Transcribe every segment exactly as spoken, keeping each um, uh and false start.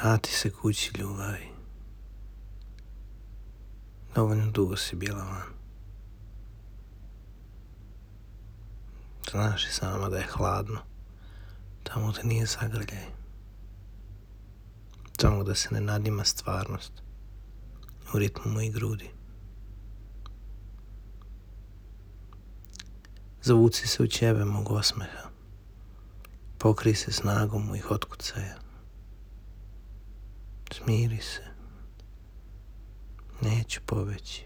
Vrati se kući, ljubavi. Dovoljno dugo si bila van. Znaš i sama da je hladno. Tamo da nije zagrljaj. Tamo da se ne nadima stvarnost. U ritmu mojih grudi. Zavuci se u ćebe mog osmeha. Pokri se snagom mojih otkucaja. Smiri se. Neću pobeći.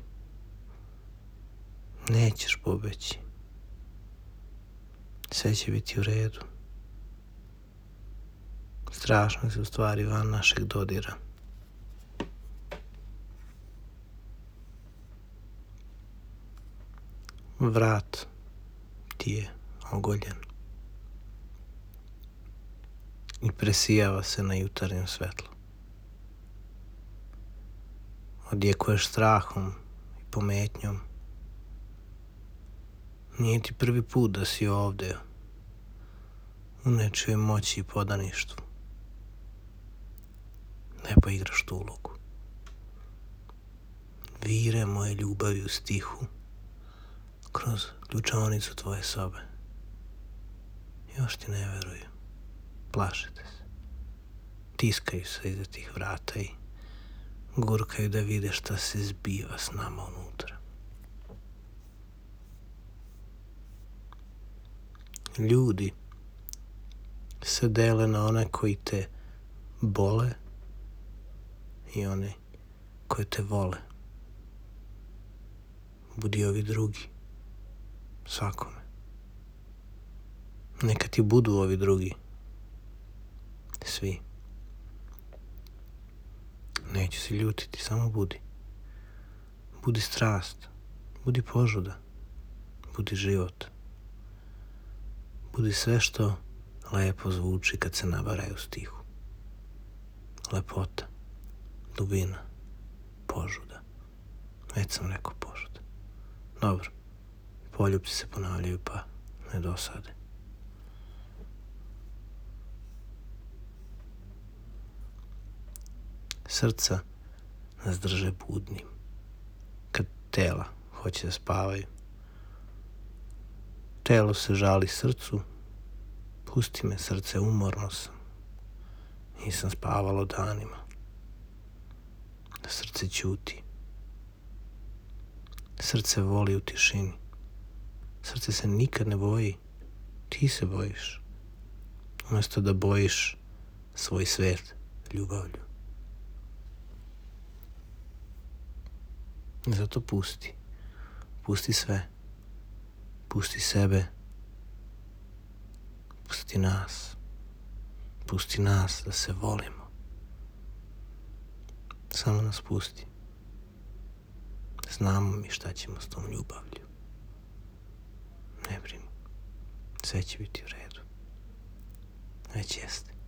Nećeš pobeći. Sve će biti u redu. Strašno se u stvari van našeg dodira. Vrat ti je ogoljen i presijava se na jutarnjem svetlu. Odjekuješ strahom i pometnjom. Nije ti prvi put da si ovde, u nečijoj moći i podaništvu. Lepo igraš tu ulogu. Vire moje ljubavi u stihu kroz ključaonicu tvoje sobe. Još ti ne veruju. Plašete se. Tiskaju se iza tih vrata i gurkaju da vide šta se zbiva s nama unutra. Ljudi se dele na one koji te bole i one koji te vole. Budi ovi drugi. Svakome. Neka ti budu ovi drugi. Svi. Neću se ljutiti, samo budi. Budi strast. Budi požuda. Budi život. Budi sve što lepo zvuči kad se nabaraju u stihu. Lepota. Dubina. Požuda. Već sam rekao požuda. Dobro. Poljupci se ponavljaju pa ne dosade. Srca nas drže budnim. Kad tela hoće da spavaju. Telo se žali srcu. Pusti me, srce, umorno sam. Nisam spavalo danima. Srce ćuti. Srce voli u tišini. Srce se nikad ne boji. Ti se bojiš. Umjesto da bojiš svoj svet ljubavlju. Zato pusti. Pusti sve. Pusti sebe. Pusti nas. Pusti nas da se volimo. Samo nas pusti. Znamo mi šta ćemo s tom ljubavlju. Ne brini. Sve će biti u redu. Već jeste.